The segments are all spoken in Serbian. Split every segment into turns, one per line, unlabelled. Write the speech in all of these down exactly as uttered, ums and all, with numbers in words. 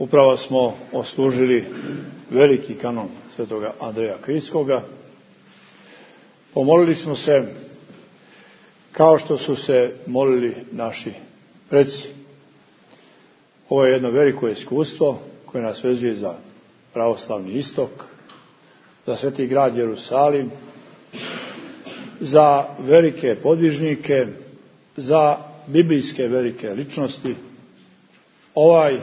Upravo smo oslužili veliki kanon svetoga Andreja Kriljskoga. Pomolili smo se kao što su se molili naši preci. Ovo je jedno veliko iskustvo koje nas vezuje za pravoslavni istok, za sveti grad Jerusalim, za velike podvižnike, za biblijske velike ličnosti. Ovaj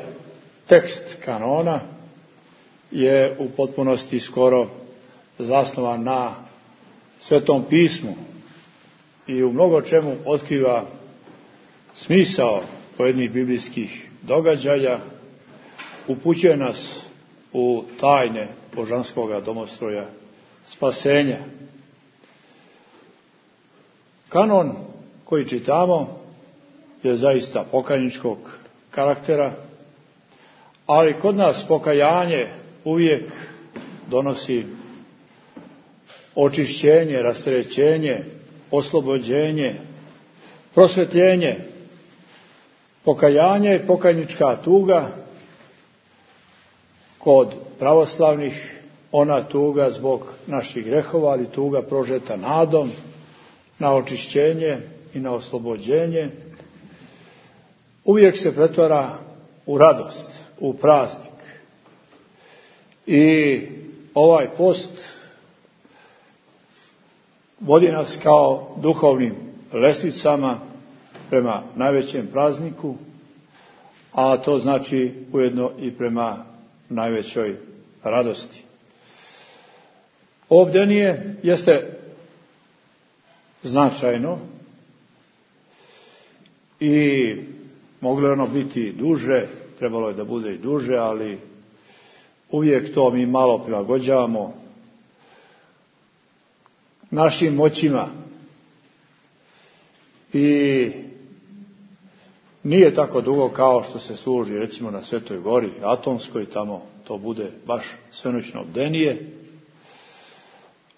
tekst kanona je u potpunosti skoro zasnovan na Svetom pismu i u mnogo čemu otkriva smisao pojedinih biblijskih događaja, upućuje nas u tajne božanskoga domostroja spasenja. Kanon koji čitamo je zaista pokajničkog karaktera, ali kod nas pokajanje uvijek donosi očišćenje, rasterećenje, oslobođenje, prosvjetljenje. Pokajanje je pokajnička tuga, kod pravoslavnih ona tuga zbog naših grehova, ali tuga prožeta nadom na očišćenje i na oslobođenje, uvijek se pretvara u radost, u praznik. I ovaj post vodi nas kao duhovnim lestvicama prema najvećem prazniku, a to znači ujedno i prema najvećoj radosti. Ovo bdenije jeste značajno i moglo je ono biti duže, trebalo je da bude i duže, ali uvijek to mi malo prilagođavamo našim moćima. I nije tako dugo kao što se služi recimo na Svetoj gori Atonskoj, tamo to bude baš svenoćno bdenije,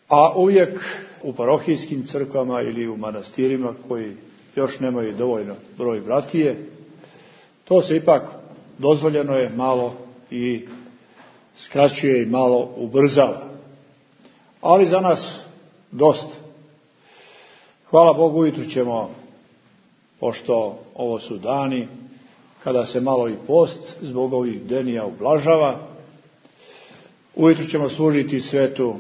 a uvijek u parohijskim crkvama ili u manastirima koji još nemaju dovoljno broj bratije, to se ipak dozvoljeno je malo i skraćuje i malo ubrzava. Ali za nas dosta. Hvala Bogu, ujutru ćemo, pošto ovo su dani kada se malo i post zbog ovih bdenija ublažava, ujutru ćemo služiti svetu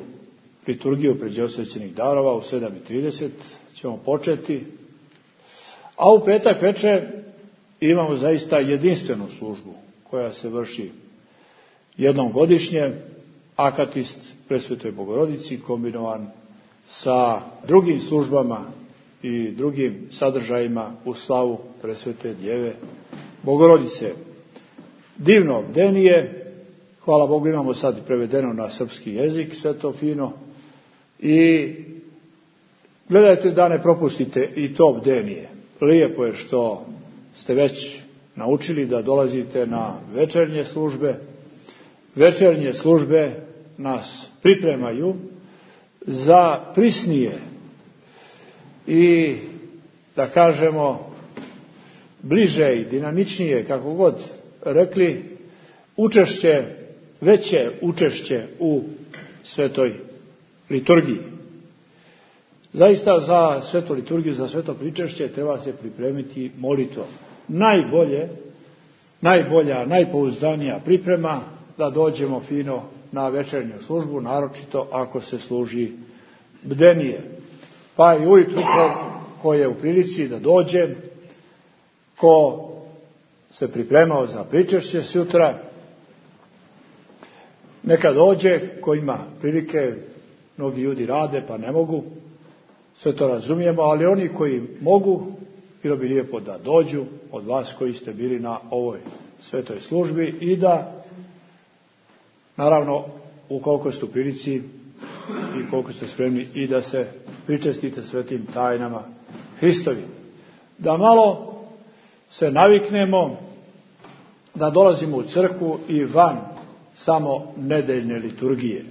liturgiju pređeosvećenih darova u sedam i trideset ćemo početi, a u petak večer imamo zaista jedinstvenu službu koja se vrši jednom godišnje, akatist Presvetoj Bogorodici kombinovan sa drugim službama i drugim sadržajima u slavu Presvete Djeve Bogorodice. Divno bdenije, hvala Bogu imamo sad i prevedeno na srpski jezik, sve to fino, i gledajte da ne propustite i to bdenije. Lijepo je što ste već naučili da dolazite na večernje službe. Večernje službe nas pripremaju za prisnije i, da kažemo, bliže i dinamičnije, kako god rekli, učešće, veće učešće u svetoj liturgiji. Zaista za svetu liturgiju, za sveto pričešće treba se pripremiti molitvom. Najbolje, najbolja, najpouzdanija priprema da dođemo fino na večernju službu, naročito ako se služi bdenije. Pa i ujutru ko, ko je u prilici da dođe, ko se pripremao za pričešće sutra, neka dođe, ko ima prilike, mnogi ljudi rade pa ne mogu, sve to razumijemo, ali oni koji mogu, bilo bi lijepo da dođu od vas koji ste bili na ovoj svetoj službi i da, naravno, ukoliko ste u prilici i koliko ste spremni, i da se pričestite svetim tajnama Hristovim. Da malo se naviknemo da dolazimo u crkvu i van samo nedeljne liturgije.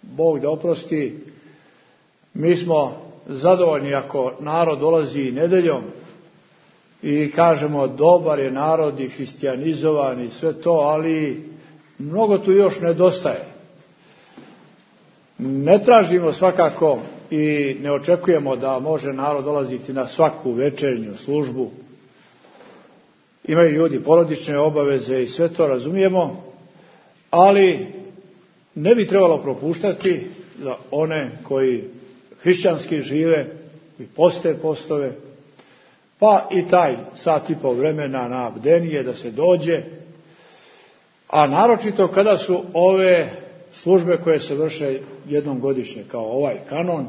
Bog da oprosti, mi smo zadovoljni ako narod dolazi nedeljom i kažemo dobar je narod i hristijanizovan i sve to, ali mnogo tu još nedostaje. Ne tražimo svakako i ne očekujemo da može narod dolaziti na svaku večernju službu. Imaju ljudi porodične obaveze i sve to razumijemo, ali ne bi trebalo propuštati za one koji hrišćanski žive i poste postove, pa i taj sat i pol vremena na bdenije da se dođe, a naročito kada su ove službe koje se vrše jednom godišnje, kao ovaj kanon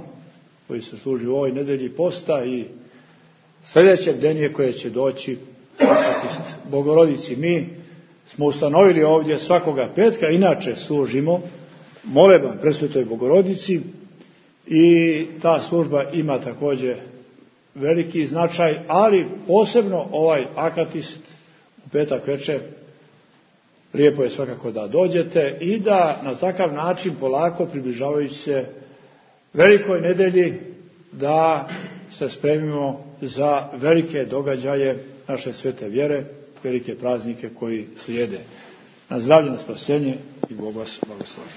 koji se služi u ovoj nedelji posta i sljedeće bdenije koje će doći Bogorodici. Mi smo ustanovili ovdje svakoga petka, inače služimo moleban Presvetoj Bogorodici i ta služba ima također veliki značaj, ali posebno ovaj akatist u petak večer lijepo je svakako da dođete i da na takav način polako približavajući se velikoj nedelji da se spremimo za velike događaje naše svete vjere, velike praznike koji slijede. Na zdravlje, na spasenje i Bog vas blagoslovi.